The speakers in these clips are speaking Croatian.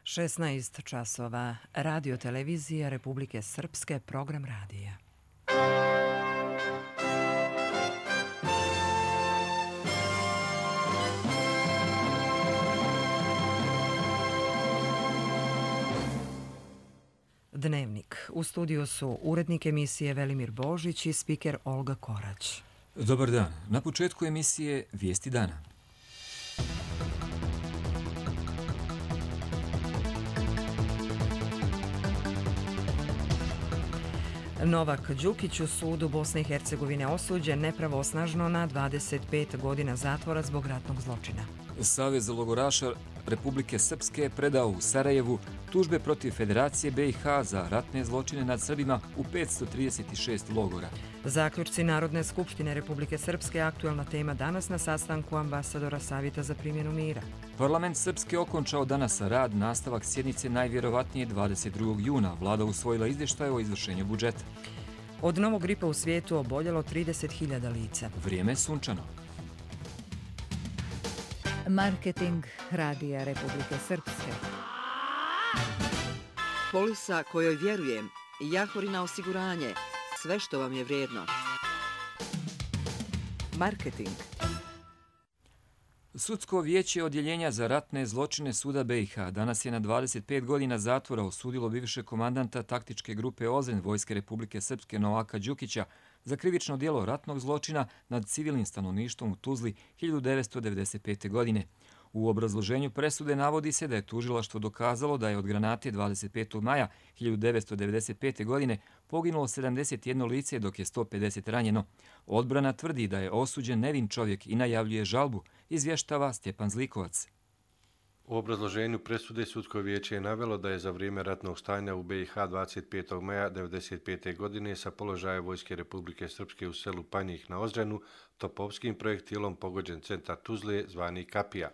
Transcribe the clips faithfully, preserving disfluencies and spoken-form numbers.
šesnaest časova. Radio televizija Republike Srpske, program radija. Dnevnik. U studiju su urednik emisije Velimir Božić i spiker Olga Korać. Dobar dan. Na početku emisije Vijesti dana. Novak Đukić u sudu Bosne i Hercegovine osuđen nepravosnažno na dvadeset pet godina zatvora zbog ratnog zločina. Savez logoraša Republike Srpske predao u Sarajevu tužbe protiv Federacije B i H za ratne zločine nad Srbima u petsto trideset šest logora. Zaključci Narodne skupštine Republike Srpske, aktuelna tema danas na sastanku ambasadora Savjeta za primjenu mira. Parlament Srpske okončao danas rad, nastavak sjednice najvjerovatnije dvadeset drugog juna. Vlada usvojila izvještaj o izvršenju budžeta. Od novog gripa u svijetu oboljelo trideset hiljada lica. Vrijeme sunčano. Marketing Radija Republike Srpske. Polisa kojoj vjerujem, Jahorina osiguranje, sve što vam je vrijedno. Marketing. Sudsko vijeće odjeljenja za ratne zločine suda B i H danas je na dvadeset pet godina zatvora osudilo bivšeg komandanta taktičke grupe Ozren Vojske Republike Srpske Novaka Đukića za krivično djelo ratnog zločina nad civilnim stanovništvom u Tuzli hiljadu devetsto devedeset pete. godine. U obrazloženju presude navodi se da je tužilaštvo dokazalo da je od granate dvadeset petog maja hiljadu devetsto devedeset pete. godine poginulo sedamdeset jedno lice dok je sto pedeset ranjeno. Odbrana tvrdi da je osuđen nevin čovjek i najavljuje žalbu, izvještava Stjepan Zlikovac. U obrazloženju presude sudsko vijeće je navelo da je za vrijeme ratnog stanja u B i H dvadeset petog maja devedeset pete. godine sa položaja Vojske Republike Srpske u selu Panjih na Ozrenu topovskim projektilom pogođen centar Tuzle zvani Kapija.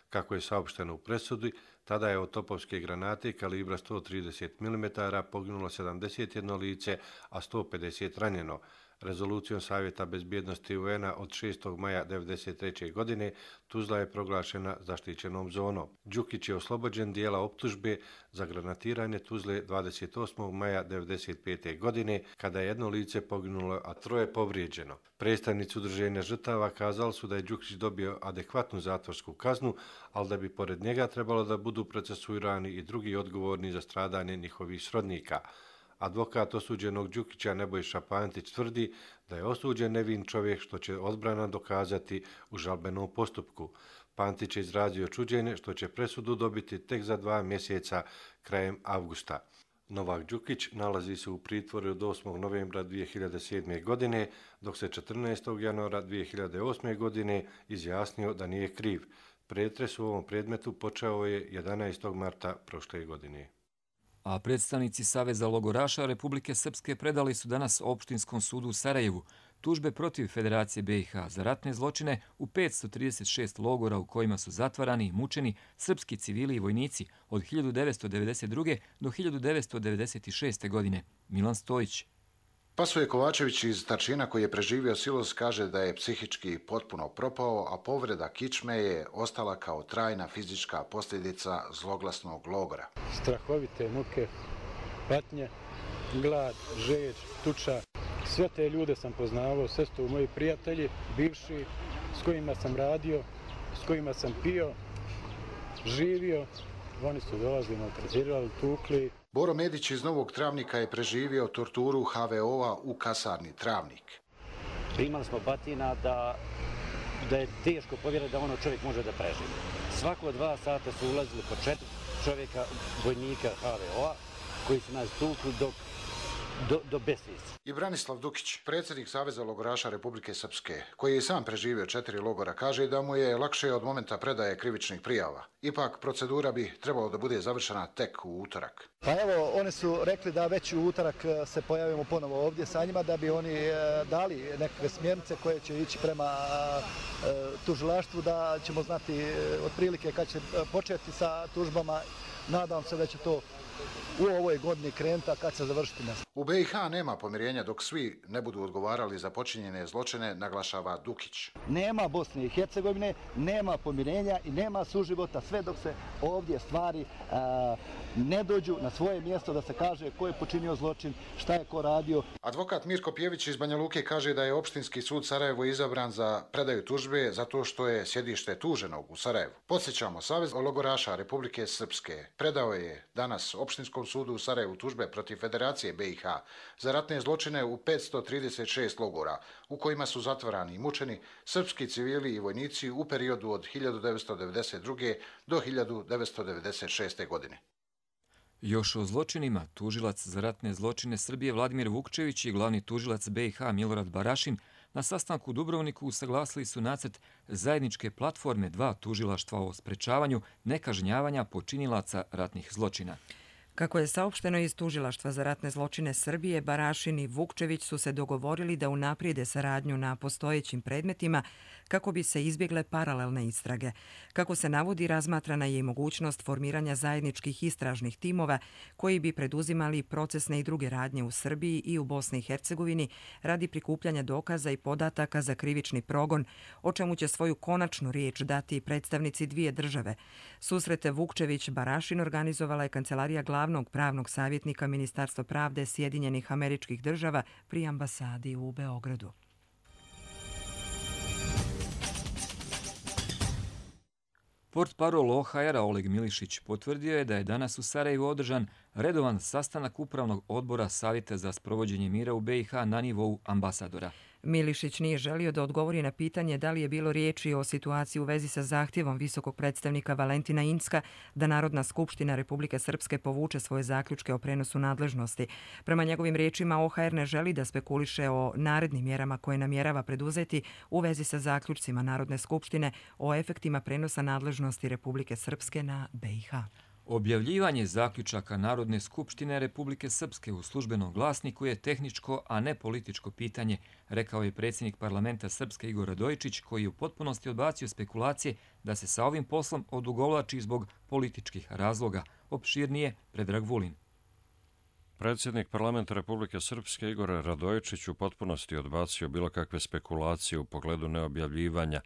Kako je saopšteno u presudi, tada je od topovske granate kalibra sto trideset milimetara poginulo sedamdeset jedno lice, a sto pedeset ranjeno. Rezolucijom Savjeta bezbjednosti U N-a od šestog maja devedeset treće. godine Tuzla je proglašena zaštićenom zonom. Đukić je oslobođen dijela optužbe za granatiranje Tuzle dvadeset osmog maja devedeset pete. godine, kada je jedno lice poginulo, a troje povrijeđeno. Predstavnici udruženja žrtava kazali su da je Đukić dobio adekvatnu zatvorsku kaznu, ali da bi pored njega trebalo da budu procesuirani i drugi odgovorni za stradanje njihovih srodnika. Advokat osuđenog Đukića Nebojša Pantić tvrdi da je osuđen nevin čovjek, što će odbrana dokazati u žalbenom postupku. Pantić je izrazio čuđenje što će presudu dobiti tek za dva mjeseca krajem avgusta. Novak Đukić nalazi se u pritvoru od osmog novembra dvije hiljade sedme. godine, dok se četrnaestog januara dvije hiljade osme. godine izjasnio da nije kriv. Pretres u ovom predmetu počeo je jedanaestog marta prošle godine. A predstavnici Saveza logoraša Republike Srpske predali su danas Opštinskom sudu u Sarajevu tužbe protiv Federacije B i H za ratne zločine u petsto trideset šest logora u kojima su zatvarani i mučeni srpski civili i vojnici od hiljadu devetsto devedeset druge. do hiljadu devetsto devedeset šeste. godine. Milan Stojić. Pasuje Kovačević iz Tarčina, koji je preživio silos, kaže da je psihički potpuno propao, a povreda kičme je ostala kao trajna fizička posljedica zloglasnog logora. Strahovite muke, patnje, glad, žeđ, tuča. Sve te ljude sam poznavao, sve su moji prijatelji, bivši, s kojima sam radio, s kojima sam pio, živio. Oni su dolazili, maltretirali, tukli. Boro Medić iz Novog Travnika je preživio torturu H V O-a u kasarni Travnik. Primali smo batina da, da je teško povjerati da ono čovjek može da preživi. Svako dva sata su ulazili po četiri čovjeka, vojnika H V O-a, koji su nas tukli dok do, do besvijesti. I Branislav Dukić, predsjednik Saveza logoraša Republike Srpske, koji je sam preživio četiri logora, kaže da mu je lakše od momenta predaje krivičnih prijava. Ipak procedura bi trebalo da bude završena tek u utorak. Pa evo, oni su rekli da već u utorak se pojavimo ponovo ovdje sa njima, da bi oni dali nekakve smjernice koje će ići prema tužilaštvu, da ćemo znati otprilike kad će početi sa tužbama. Nadam se da će to u ovoj godini krenuti, a kad se završiti ne. U B i H nema pomirenja dok svi ne budu odgovarali za počinjene zločine, naglašava Dukić. Nema Bosne i Hercegovine, nema pomirenja i nema suživota sve dok se ovdje stvari a, ne dođu na svoje mjesto da se kaže ko je počinio zločin, šta je ko radio. Advokat Mirko Pjević iz Banja Luke kaže da je Opštinski sud Sarajevo izabran za predaju tužbe zato što je sjedište tuženog u Sarajevu. Podsjećamo, Savez logoraša Republike Srpske predao je danas Opštinskom sudu u Sarajevu tužbe protiv Federacije B i H za ratne zločine u petsto trideset šest logora u kojima su zatvarani i mučeni srpski civili i vojnici u periodu od hiljadu devetsto devedeset druge. do hiljadu devetsto devedeset šeste. godine. Još o zločinima, tužilac za ratne zločine Srbije Vladimir Vukčević i glavni tužilac B i H Milorad Barašin na sastanku u Dubrovniku usaglasili su nacrt zajedničke platforme dva tužilaštva o sprečavanju nekažnjavanja počinilaca ratnih zločina. Kako je saopšteno iz Tužilaštva za ratne zločine Srbije, Barašin i Vukčević su se dogovorili da unaprijede saradnju na postojećim predmetima kako bi se izbjegle paralelne istrage. Kako se navodi, razmatrana je i mogućnost formiranja zajedničkih istražnih timova koji bi preduzimali procesne i druge radnje u Srbiji i u Bosni i Hercegovini radi prikupljanja dokaza i podataka za krivični progon, o čemu će svoju konačnu riječ dati predstavnici dvije države. Susrete Vukčević-Barašin organizovala je Kancelarija glavnog pravnog savjetnika Ministarstva pravde Sjedinjenih Američkih Država pri ambasadi u Beogradu. Portparol O H R-a Oleg Milišić potvrdio je da je danas u Sarajevu održan redovan sastanak Upravnog odbora Savjeta za sprovođenje mira u B i H na nivou ambasadora. Milišić nije želio da odgovori na pitanje da li je bilo riječi o situaciji u vezi sa zahtjevom visokog predstavnika Valentina Incka da Narodna skupština Republike Srpske povuče svoje zaključke o prenosu nadležnosti. Prema njegovim riječima, O H R ne želi da spekuliše o narednim mjerama koje namjerava preduzeti u vezi sa zaključcima Narodne skupštine o efektima prenosa nadležnosti Republike Srpske na B i H. Objavljivanje zaključaka Narodne skupštine Republike Srpske u službenom glasniku je tehničko, a ne političko pitanje, rekao je predsjednik parlamenta Srpske Igor Radojičić, koji je u potpunosti odbacio spekulacije da se sa ovim poslom odugovlači zbog političkih razloga. Opširnije Predrag Vulin. Predsjednik parlamenta Republike Srpske Igor Radojičić u potpunosti odbacio bilo kakve spekulacije u pogledu neobjavljivanja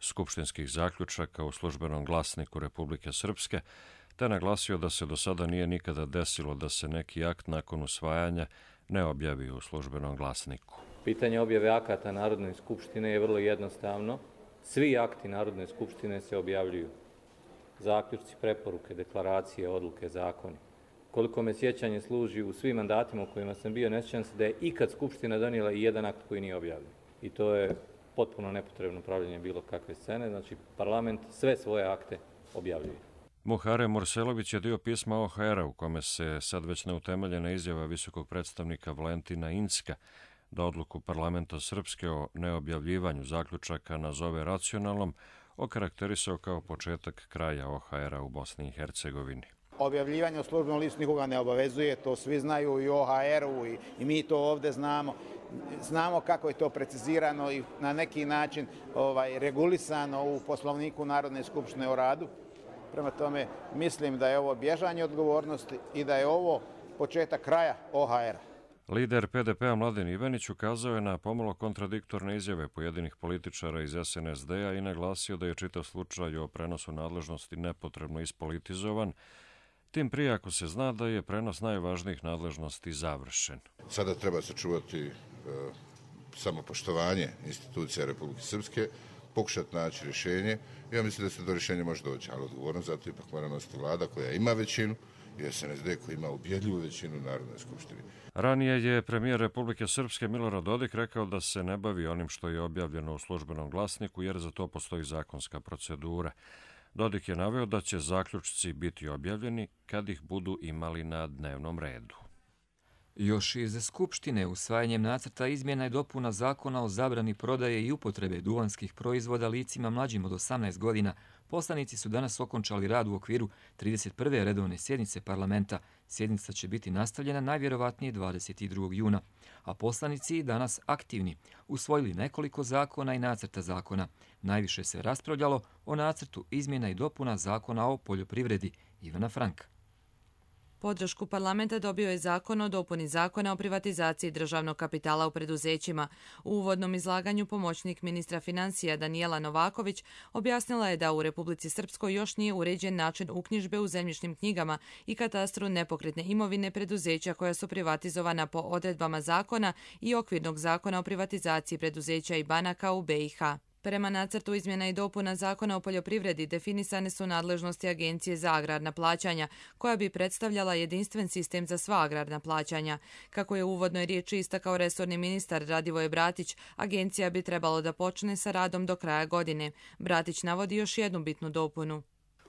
skupštinskih zaključaka u službenom glasniku Republike Srpske, te naglasio da se do sada nije nikada desilo da se neki akt nakon usvajanja ne objavi u službenom glasniku. Pitanje objave akata Narodne skupštine je vrlo jednostavno. Svi akti Narodne skupštine se objavljuju. Zaključci, preporuke, deklaracije, odluke, zakoni. Koliko me sjećanje služi u svim mandatima u kojima sam bio, ne sjećam se da je ikad Skupština donijela i jedan akt koji nije objavljen. I to je potpuno nepotrebno pravljenje bilo kakve scene. Znači, parlament sve svoje akte objavljuje. Muhare Morselović je dio pisma O H R-a u kome se sad već neutemeljena izjava visokog predstavnika Valentina Incka da odluku parlamenta Srpske o neobjavljivanju zaključaka nazove racionalnom okarakterisao kao početak kraja O H R-a u Bosni i Hercegovini. Objavljivanje u službenom listu nikoga ne obavezuje, to svi znaju i O H R-u i, i mi to ovdje znamo. Znamo kako je to precizirano i na neki način ovaj, regulisano u Poslovniku Narodne skupštine o radu. Prema tome, mislim da je ovo bježanje odgovornosti i da je ovo početak kraja O H R-a. Lider P D P-a Mladen Ivanić ukazao je na pomalo kontradiktorne izjave pojedinih političara iz S N S D-a i naglasio da je čitav slučaj o prenosu nadležnosti nepotrebno ispolitizovan, tim prije ako se zna da je prenos najvažnijih nadležnosti završen. Sada treba sačuvati e, samopoštovanje institucija Republike Srpske, pokušati naći rješenje. Ja mislim da se do rješenja može doći, ali odgovornost zato ipak mora nositi vlada koja ima većinu i S N S D koji ima ubjedljivu većinu u Narodnoj skupštini. Ranije je premijer Republike Srpske Milorad Dodik rekao da se ne bavi onim što je objavljeno u službenom glasniku jer za to postoji zakonska procedura. Dodik je naveo da će zaključci biti objavljeni kad ih budu imali na dnevnom redu. Još iz Skupštine usvajanjem nacrta izmjena i dopuna zakona o zabrani prodaje i upotrebe duvanskih proizvoda licima mlađim od osamnaest godina, poslanici su danas okončali rad u okviru trideset prve redovne sjednice parlamenta. Sjednica će biti nastavljena najvjerovatnije dvadeset drugog juna. A poslanici danas aktivni usvojili nekoliko zakona i nacrta zakona. Najviše se raspravljalo o nacrtu izmjena i dopuna zakona o poljoprivredi. Ivana Franka. Podršku parlamenta dobio je zakon o dopuni zakona o privatizaciji državnog kapitala u preduzećima. U uvodnom izlaganju pomoćnik ministra financija Danijela Novaković objasnila je da u Republici Srpskoj još nije uređen način uknjižbe u zemljišnim knjigama i katastru nepokretne imovine preduzeća koja su privatizovana po odredbama zakona i okvirnog zakona o privatizaciji preduzeća i banaka u be i ha. Prema nacrtu izmjena i dopuna Zakona o poljoprivredi definisane su nadležnosti Agencije za agrarna plaćanja, koja bi predstavljala jedinstven sistem za sva agrarna plaćanja. Kako je u uvodnoj riječi istakao resorni ministar Radivoje Bratić, agencija bi trebalo da počne sa radom do kraja godine. Bratić navodi još jednu bitnu dopunu.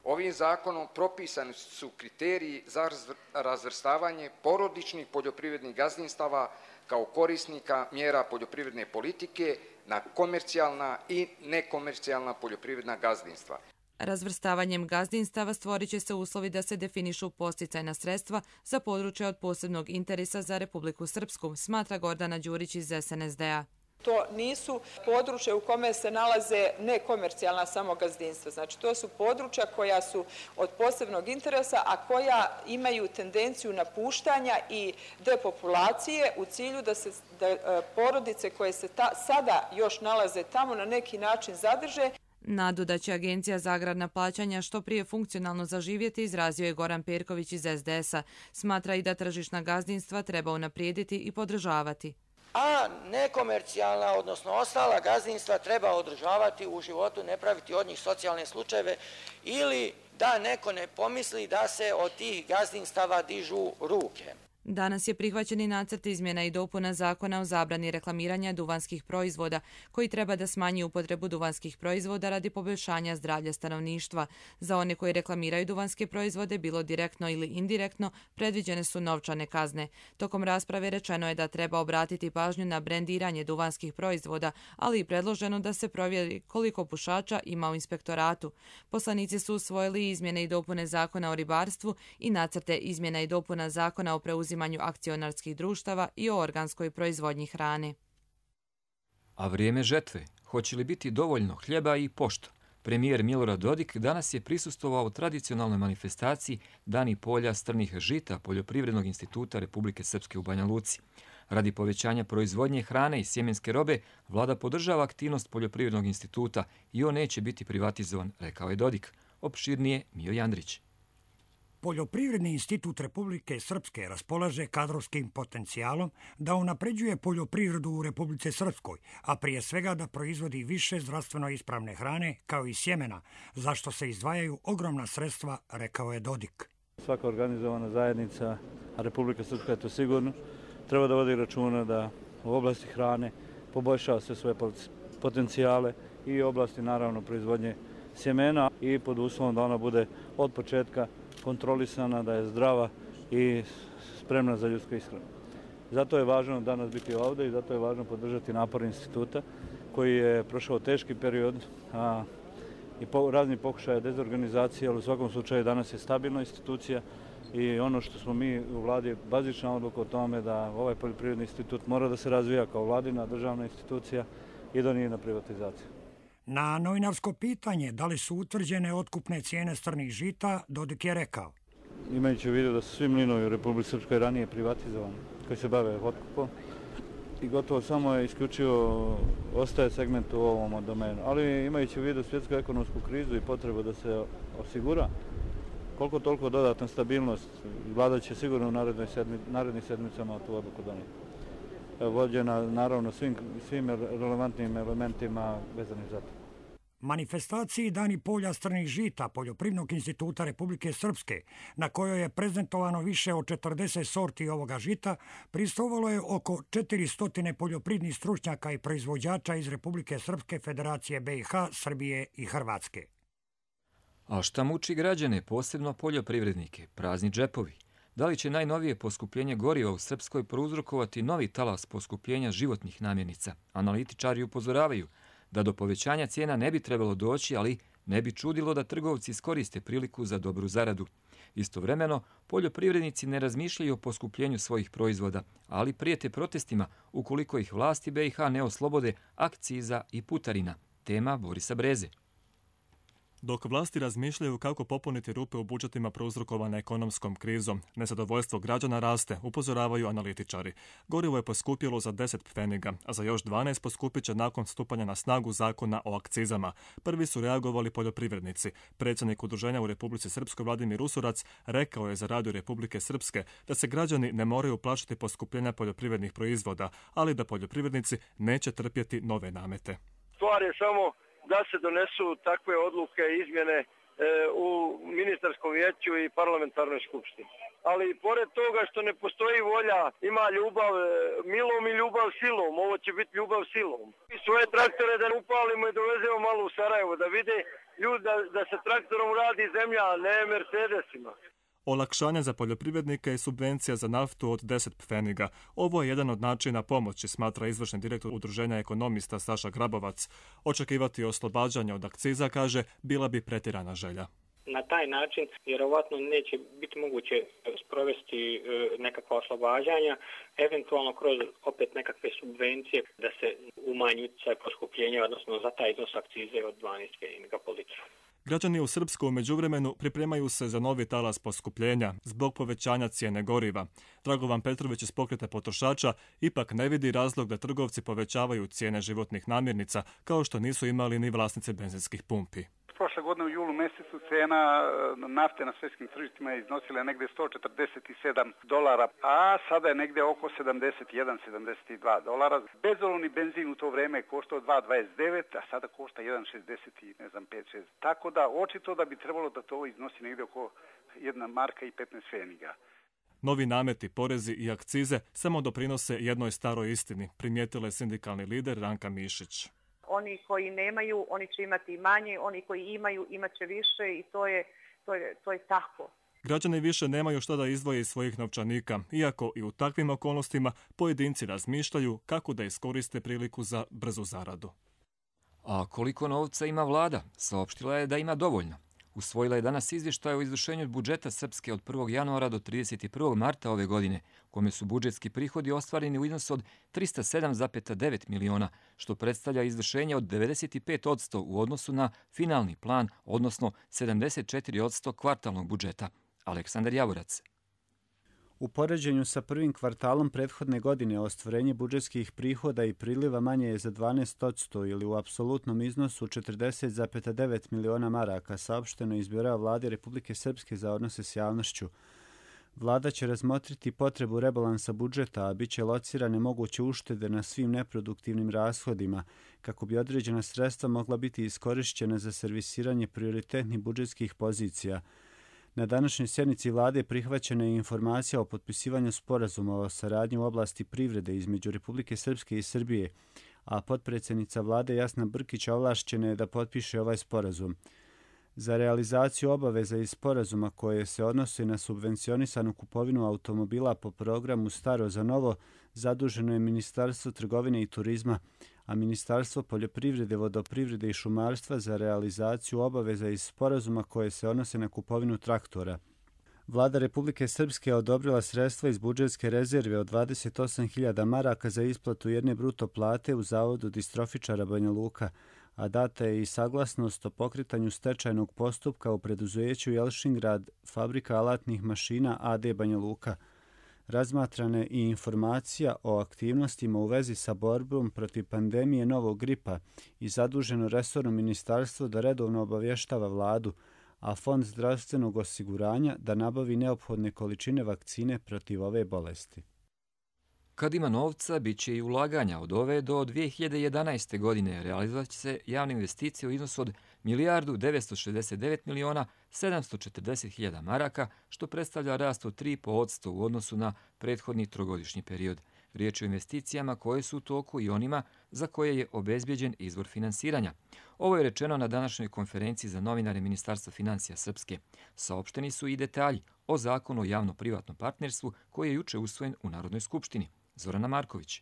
Ovim zakonom propisani su kriteriji za razvrstavanje porodičnih poljoprivrednih gazdinstava kao korisnika mjera poljoprivredne politike na komercijalna i nekomercijalna poljoprivredna gazdinstva. Razvrstavanjem gazdinstava stvorit će se uslovi da se definišu podsticajna sredstva za područje od posebnog interesa za Republiku Srpsku, smatra Gordana Đurić iz es en es de a. To nisu područje u kome se nalaze nekomercijalna samo gazdinstva. Znači, to su područja koja su od posebnog interesa, a koja imaju tendenciju napuštanja i depopulacije u cilju da se da, porodice koje se ta, sada još nalaze tamo na neki način zadrže. Nadu da će Agencija za agrarna plaćanja što prije funkcionalno zaživjeti izrazio je Goran Perković iz es de es a. Smatra i da tržišna gazdinstva treba unaprijediti i podržavati. A nekomercijalna, odnosno ostala gazdinstva treba održavati u životu, ne praviti od njih socijalne slučajeve ili da neko ne pomisli da se od tih gazdinstava dižu ruke. Danas je prihvaćen i nacrt izmjena i dopuna Zakona o zabrani reklamiranja duvanskih proizvoda, koji treba da smanji upotrebu duvanskih proizvoda radi poboljšanja zdravlja stanovništva. Za one koji reklamiraju duvanske proizvode, bilo direktno ili indirektno, predviđene su novčane kazne. Tokom rasprave rečeno je da treba obratiti pažnju na brendiranje duvanskih proizvoda, ali i predloženo da se provjeri koliko pušača ima u inspektoratu. Poslanici su usvojili izmjene i dopune Zakona o ribarstvu i nacrte izmjena i dopuna Zakona o preuzimanju akcionarskih društava i o organskoj proizvodnji hrane. A vrijeme žetve, hoće li biti dovoljno hljeba i pošta? Premijer Milorad Dodik danas je prisustvovao tradicionalnoj manifestaciji Dani polja strnih žita Poljoprivrednog instituta Republike Srpske u Banja Luci. Radi povećanja proizvodnje hrane i sjemenske robe, vlada podržava aktivnost Poljoprivrednog instituta i on neće biti privatizovan, rekao je Dodik. Opširnije Mio Jandrić. Poljoprivredni institut Republike Srpske raspolaže kadrovskim potencijalom da unapređuje poljoprivredu u Republice Srpskoj, a prije svega da proizvodi više zdravstveno ispravne hrane kao i sjemena, zašto se izdvajaju ogromna sredstva, rekao je Dodik. Svaka organizovana zajednica, a Republika Srpska je to sigurno, treba da vodi računa da u oblasti hrane poboljšava sve svoje potencijale i u oblasti naravno proizvodnje sjemena i pod uslovom da ona bude od početka kontrolisana, da je zdrava i spremna za ljudsku ishranu. Zato je važno danas biti ovdje i zato je važno podržati napor instituta koji je prošao teški period a, i po, razni pokušaje dezorganizacije, ali u svakom slučaju danas je stabilna institucija i ono što smo mi u vladi bazična odluka o tome da ovaj poljoprivredni institut mora da se razvija kao vladina državna institucija i da nije na privatizaciju. Na novinarsko pitanje da li su utvrđene otkupne cijene strnih žita, Dodik je rekao. Imajući u vidu da su svi mlinovi u Republici Srpskoj ranije privatizovani, koji se bave otkupom, i gotovo samo je isključivo ostaje segment u ovom domenu. Ali imajući u vidu svjetsku ekonomsku krizu i potrebu da se osigura koliko toliko dodatna stabilnost, vlada će sigurno u narednim sedmicama tu odluku donijeti. Vođena naravno svim, svim relevantnim elementima vezanim za to. Manifestaciji Dani polja strnih žita Poljoprivrednog instituta Republike Srpske, na kojoj je prezentovano više od četrdeset sorti ovoga žita, prisustvovalo je oko četiristo poljoprivrednih stručnjaka i proizvođača iz Republike Srpske, Federacije be i ha, Srbije i Hrvatske. A šta muči građane, posebno poljoprivrednike? Prazni džepovi. Da li će najnovije poskupljenje goriva u Srpskoj prouzrokovati novi talas poskupljenja životnih namirnica? Analitičari upozoravaju da do povećanja cijena ne bi trebalo doći, ali ne bi čudilo da trgovci iskoriste priliku za dobru zaradu. Istovremeno, poljoprivrednici ne razmišljaju o poskupljenju svojih proizvoda, ali prijete protestima ukoliko ih vlasti be i ha ne oslobode akciza i putarina. Tema Borisa Breze. Dok vlasti razmišljaju kako popuniti rupe u budžetima prouzrokovane ekonomskom krizom, nezadovoljstvo građana raste, upozoravaju analitičari. Gorivo je poskupjelo za deset pfeniga, a za još dvanaest poskupit će nakon stupanja na snagu zakona o akcizama. Prvi su reagovali poljoprivrednici. Predsjednik udruženja u Republici Srpskoj Vladimir Usurac rekao je za Radio Republike Srpske da se građani ne moraju plašiti poskupljenja poljoprivrednih proizvoda, ali da poljoprivrednici neće trpjeti nove namete. Stvar je samo da se donesu takve odluke i izmjene e, u ministarskom vijeću i parlamentarnoj skupštini. Ali pored toga što ne postoji volja, ima ljubav e, milom i ljubav silom. Ovo će biti ljubav silom. I svoje traktore da upalimo i dovezemo malo u Sarajevo, da vide ljudi da, da se traktorom radi zemlja, a ne Mercedesima. Olakšanje za poljoprivrednike je subvencija za naftu od deset pfeniga. Ovo je jedan od načina pomoći, smatra izvršni direktor Udruženja ekonomista Saša Grabovac. Očekivati oslobađanje od akciza, kaže, bila bi pretjerana želja. Na taj način vjerovatno neće biti moguće sprovesti nekakva oslobađanja, eventualno kroz opet nekakve subvencije da se umanji utjecaj poskupljenja, odnosno za taj iznos akcize od dvanaest pfeniga po litru. Građani u Srpsku u međuvremenu pripremaju se za novi talas poskupljenja zbog povećanja cijene goriva. Dragovan Petrović iz Pokreta potrošača ipak ne vidi razlog da trgovci povećavaju cijene životnih namirnica, kao što nisu imali ni vlasnici benzinskih pumpi. Prošle godine u julu mjesecu cena nafte na svjetskim tržištima je iznosila negdje sto četrdeset sedam dolara, a sada je negdje oko sedamdeset jedan sedamdeset dva dolara. Bezolovni benzin u to vrijeme je koštao dva dvadeset devet, a sada košta jedan šezdeset i ne znam pet šest. Tako da očito da bi trebalo da to iznosi negdje oko jedna marka i petnaest pfeniga. Novi nameti, porezi i akcize samo doprinose jednoj staroj istini, primijetila je sindikalni lider Ranka Mišić. Oni koji nemaju, oni će imati manje, oni koji imaju, imat će više i to je, to je, to je tako. Građani više nemaju što da izdvoje iz svojih novčanika, iako i u takvim okolnostima pojedinci razmišljaju kako da iskoriste priliku za brzu zaradu. A koliko novca ima vlada? Saopštila je da ima dovoljno. Usvojila je danas izvještaj o izvršenju budžeta Srpske od prvog januara do trideset prvog marta ove godine, kome su budžetski prihodi ostvareni u iznosu od trista sedam zarez devet miliona, što predstavlja izvršenje od devedeset pet posto u odnosu na finalni plan, odnosno sedamdeset četiri posto kvartalnog budžeta. Aleksandar Javorac. U poređenju sa prvim kvartalom prethodne godine ostvarenje budžetskih prihoda i priliva manje je za dvanaest posto ili u apsolutnom iznosu četrdeset zarez devet miliona maraka, saopšteno iz Bira vlade Republike Srpske za odnose s javnošću. Vlada će razmotriti potrebu rebalansa budžeta, a bit će locirane moguće uštede na svim neproduktivnim rashodima, kako bi određena sredstva mogla biti iskorišćena za servisiranje prioritetnih budžetskih pozicija. Na današnjoj sjednici vlade prihvaćena je informacija o potpisivanju sporazuma o saradnji u oblasti privrede između Republike Srpske i Srbije, a potpredsjednica vlade Jasna Brkić ovlašćena je da potpiše ovaj sporazum. Za realizaciju obaveza iz sporazuma koje se odnose na subvencionisanu kupovinu automobila po programu Staro za novo, zaduženo je Ministarstvo trgovine i turizma, a Ministarstvo poljoprivrede, vodoprivrede i šumarstva za realizaciju obaveza iz sporazuma koje se odnose na kupovinu traktora. Vlada Republike Srpske odobrila sredstva iz budžetske rezerve od dvadeset osam hiljada maraka za isplatu jedne bruto plate u Zavodu distrofičara Banja Luka, a data je i saglasnost o pokretanju stečajnog postupka u preduzeću Jelšingrad, fabrika alatnih mašina A D Banja Luka. Razmatrana je i informacija o aktivnostima u vezi sa borbom protiv pandemije novog gripa i zaduženo resorno ministarstvo da redovno obavještava vladu, a Fond zdravstvenog osiguranja da nabavi neophodne količine vakcine protiv ove bolesti. Kad ima novca, bit će i ulaganja. Od ove do dvije hiljade jedanaeste. godine realizovat će se javne investicije u iznosu od milijardu devetsto šezdeset devet miliona sedamsto četrdeset hiljada maraka, što predstavlja rast od tri zarez pet posto u odnosu na prethodni trogodišnji period. Riječ je o investicijama koje su u toku i onima za koje je obezbjeđen izvor finansiranja. Ovo je rečeno na današnjoj konferenciji za novinare Ministarstva financija Srpske. Saopšteni su i detalji o zakonu o javno-privatnom partnerstvu koji je juče usvojen u Narodnoj skupštini. Zorana Marković.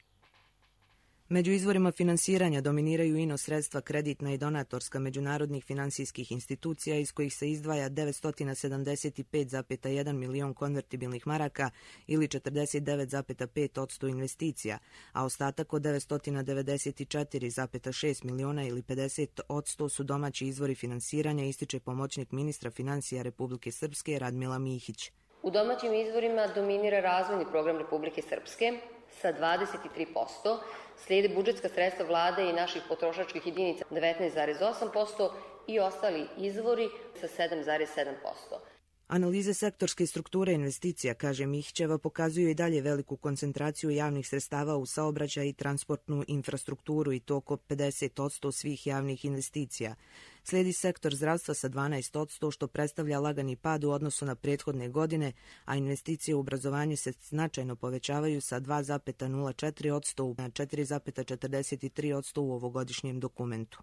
Među izvorima finansiranja dominiraju ino sredstva kreditna i donatorska međunarodnih finansijskih institucija iz kojih se izdvaja devetsto sedamdeset pet zarez jedan milion konvertibilnih maraka ili četrdeset devet zarez pet posto investicija, a ostatak od devetsto devedeset četiri zarez šest miliona ili pedeset posto su domaći izvori finansiranja, ističe pomoćnik ministra financija Republike Srpske Radmila Mihić. U domaćim izvorima dominira razvojni program Republike Srpske sa dvadeset tri posto, slijede budžetska sredstva vlade i naših potrošačkih jedinica devetnaest zarez osam posto i ostali izvori sa sedam zarez sedam posto. Analize sektorske strukture investicija, kaže Mihićeva, pokazuju i dalje veliku koncentraciju javnih sredstava u saobraćaj i transportnu infrastrukturu i to oko pedeset posto svih javnih investicija. Slijedi sektor zdravstva sa dvanaest posto, što predstavlja lagani pad u odnosu na prethodne godine, a investicije u obrazovanje se značajno povećavaju sa dva zarez nula četiri posto na četiri zarez četrdeset tri posto u ovogodišnjem dokumentu.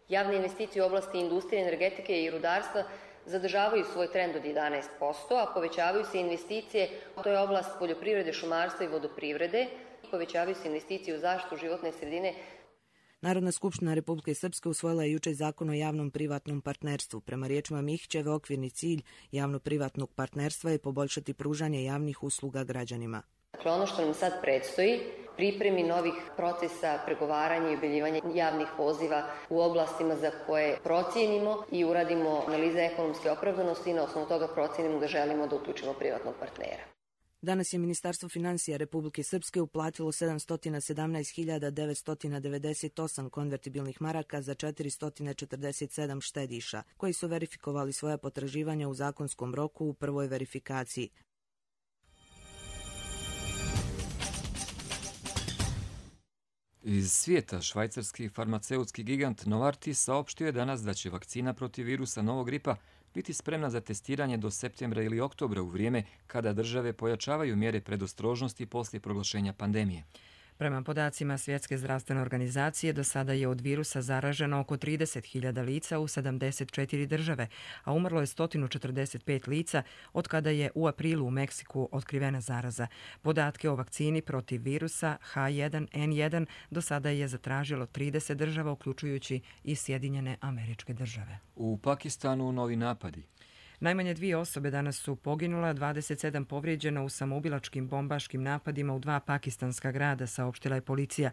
Javne investicije u oblasti industrije, energetike i rudarstva zadržavaju svoj trend od jedanaest posto, a povećavaju se investicije, to je oblast poljoprivrede, šumarstva i vodoprivrede, povećavaju se investicije u zaštitu životne sredine. Narodna skupština Republike Srpske usvojila je juče zakon o javnom privatnom partnerstvu. Prema riječima Mihićeve, okvirni cilj javno-privatnog partnerstva je poboljšati pružanje javnih usluga građanima. Dakle, ono što nam sad predstoji, pripremi novih procesa pregovaranja i objavljivanja javnih poziva u oblastima za koje procijenimo i uradimo analize ekonomske opravdanosti i na osnovu toga procijenimo da želimo da uključimo privatnog partnera. Danas je Ministarstvo financija Republike Srpske uplatilo sedamsto sedamnaest hiljada devetsto devedeset osam konvertibilnih maraka za četiristo četrdeset sedam štediša, koji su verifikovali svoja potraživanja u zakonskom roku u prvoj verifikaciji. Iz svijeta švajcarski farmaceutski gigant Novartis saopštio je danas da će vakcina protiv virusa novog gripa biti spremna za testiranje do septembra ili oktobra u vrijeme kada države pojačavaju mjere predostrožnosti poslije proglašenja pandemije. Prema podacima Svjetske zdravstvene organizacije, do sada je od virusa zaraženo oko trideset hiljada lica u sedamdeset četiri države, a umrlo je sto četrdeset pet lica od kada je u aprilu u Meksiku otkrivena zaraza. Podatke o vakcini protiv virusa ha jedan en jedan do sada je zatražilo trideset država, uključujući i Sjedinjene Američke Države. U Pakistanu novi napadi. Najmanje dvije osobe danas su poginula, dvadeset sedam povrijeđeno u samoubilačkim bombaškim napadima u dva pakistanska grada, saopštila je policija.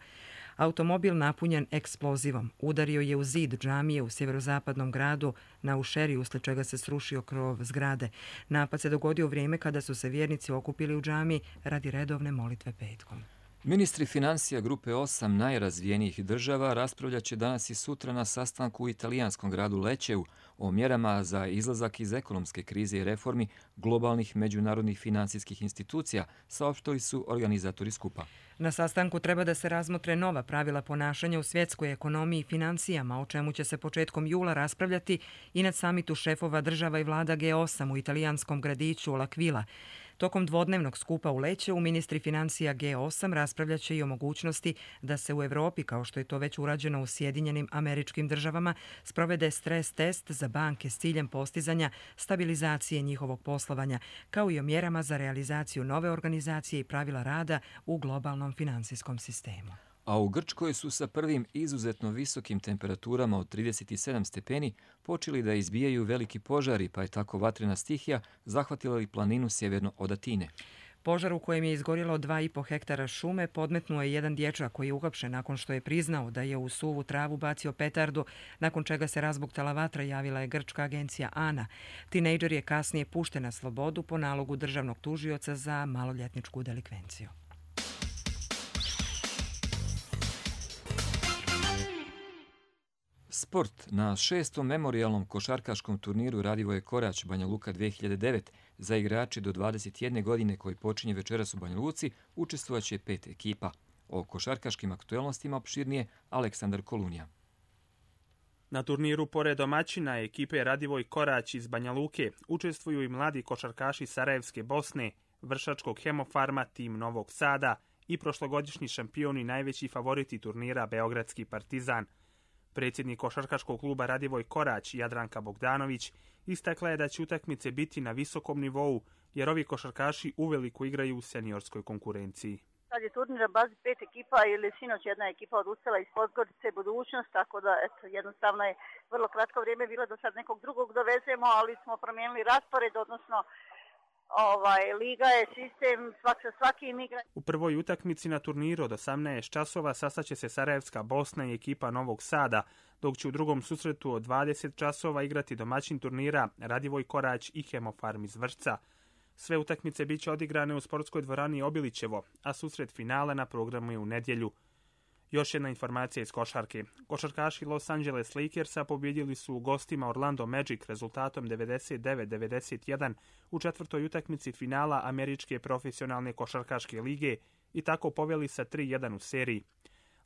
Automobil napunjen eksplozivom udario je u zid džamije u sjeverozapadnom gradu na Ušeri, uslijed čega se srušio krov zgrade. Napad se dogodio u vrijeme kada su se vjernici okupili u džamiji radi redovne molitve petkom. Ministri financija grupe osam najrazvijenijih država raspravljat će danas i sutra na sastanku u italijanskom gradu Lečeu o mjerama za izlazak iz ekonomske krize i reformi globalnih međunarodnih financijskih institucija, saopštili su organizatori skupa. Na sastanku treba da se razmotre nova pravila ponašanja u svjetskoj ekonomiji i financijama, o čemu će se početkom jula raspravljati i na samitu šefova država i vlada ge osam u italijanskom gradiću L'Aquila. Tokom dvodnevnog skupa u Lečeu ministri financija ge osam raspravljat će i o mogućnosti da se u Evropi, kao što je to već urađeno u Sjedinjenim Američkim Državama, sprovede stres test za banke s ciljem postizanja stabilizacije njihovog poslovanja, kao i o mjerama za realizaciju nove organizacije i pravila rada u globalnom financijskom sistemu. A u Grčkoj su sa prvim izuzetno visokim temperaturama od trideset sedam stepeni počeli da izbijaju veliki požari, pa je tako vatrena stihija zahvatila i planinu sjeverno od Atine. Požar u kojem je izgorjelo dva i po hektara šume podmetnuo je jedan dječak koji je uhapšen nakon što je priznao da je u suvu travu bacio petardu, nakon čega se razbuktala vatra, javila je grčka agencija ANA. Tinejdžer je kasnije pušten na slobodu po nalogu državnog tužioca za maloljetničku delikvenciju. Sport. Na šestom memorijalnom košarkaškom turniru Radivoje Korać Banja Luka dvije hiljade devet za igrači do dvadeset jedne godine koji počinje večeras u Banja Luci učestvovaće pet ekipa. O košarkaškim aktuelnostima opširnije Aleksandar Kolunija. Na turniru pored domaćina ekipe Radivoj Korać iz Banja Luke učestvuju i mladi košarkaši Sarajevske Bosne, Vršačkog Hemofarma, tim Novog Sada i prošlogodišnji šampioni i najveći favoriti turnira Beogradski Partizan. Predsjednik košarkaškog kluba Radivoj Korać, Jadranka Bogdanović, istakla je da će utakmice biti na visokom nivou, jer ovi košarkaši uveliko igraju u seniorskoj konkurenciji. Sad je turnir na bazi pet ekipa ili sinoć jedna ekipa odustala iz Podgorice Budućnost, tako da eto, jednostavno je vrlo kratko vrijeme bilo da sad nekog drugog dovezemo, ali smo promijenili raspored, odnosno ovaj, liga je sistem, svak sa svakim igra. U prvoj utakmici na turniru od osamnaest časova sastaće se Sarajevska Bosna i ekipa Novog Sada, dok će u drugom susretu od dvadeset časova igrati domaćin turnira Radivoj Korać i Hemofarm iz Vršca. Sve utakmice bit će odigrane u sportskoj dvorani Obilićevo, a susret finala na programu je u nedjelju. Još jedna informacija iz košarke. Košarkaši Los Angeles Lakersa pobjedili su u gostima Orlando Magic rezultatom devedeset devet devedeset jedan u četvrtoj utakmici finala Američke profesionalne košarkaške lige i tako poveli sa tri jedan u seriji.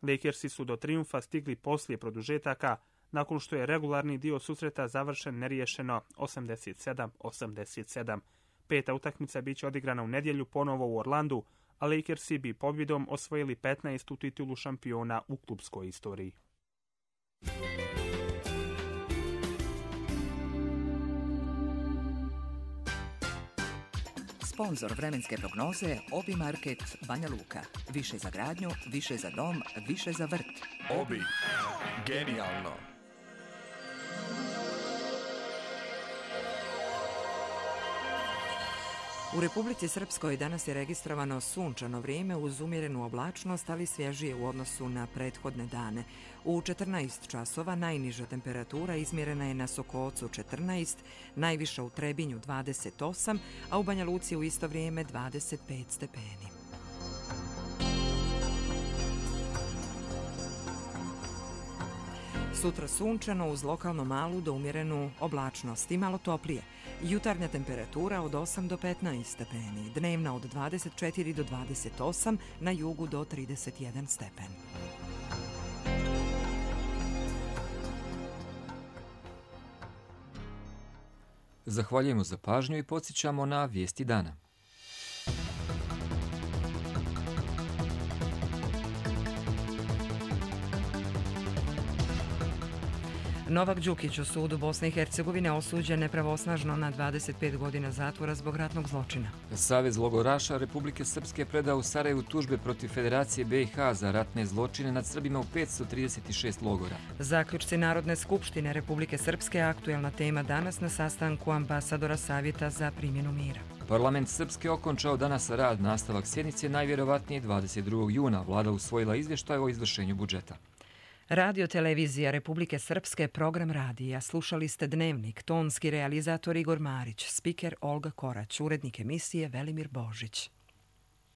Lakersi su do trijumfa stigli poslije produžetaka, nakon što je regularni dio susreta završen neriješeno osamdeset sedam osamdeset sedam. Peta utakmica bit će odigrana u nedjelju ponovo u Orlandu, a Lakersi bi pobjedom osvojili petnaestu titulu šampiona u klubskoj istoriji. Sponzor vremenske prognoze Obi Market Banja Luka. Više za gradnju, više za dom, više za vrt. Obi. Genijalno. U Republici Srpskoj danas je registrovano sunčano vrijeme uz umjerenu oblačnost, ali svježije u odnosu na prethodne dane. U četrnaest časova najniža temperatura izmjerena je na Sokocu četrnaest, najviša u Trebinju dvadeset osam, a u Banja Luci u isto vrijeme dvadeset pet stepeni. Sutra sunčano uz lokalno malu do umjerenu oblačnost i malo toplije. Jutarnja temperatura od osam do petnaest stepeni, dnevna od dvadeset četiri do dvadeset osam, na jugu do trideset jedan stepen. Zahvaljujemo za pažnju i podsjećamo na vijesti dana. Novak Đukić u sudu Bosne i Hercegovine osuđen nepravosnažno na dvadeset pet godina zatvora zbog ratnog zločina. Savez logoraša Republike Srpske predao u Sarajevu tužbe protiv Federacije B i H za ratne zločine nad Srbima u petsto trideset šest logora. Zaključci Narodne skupštine Republike Srpske aktuelna tema danas na sastanku ambasadora Savjeta za primjenu mira. Parlament Srpske okončao danas rad, nastavak sjednice najvjerovatnije dvadeset drugog juna. Vlada usvojila izvještaj o izvršenju budžeta. Radio televizija Republike Srpske, program radija. Slušali ste Dnevnik, tonski realizator Igor Marić, spiker Olga Korać, urednik emisije Velimir Božić.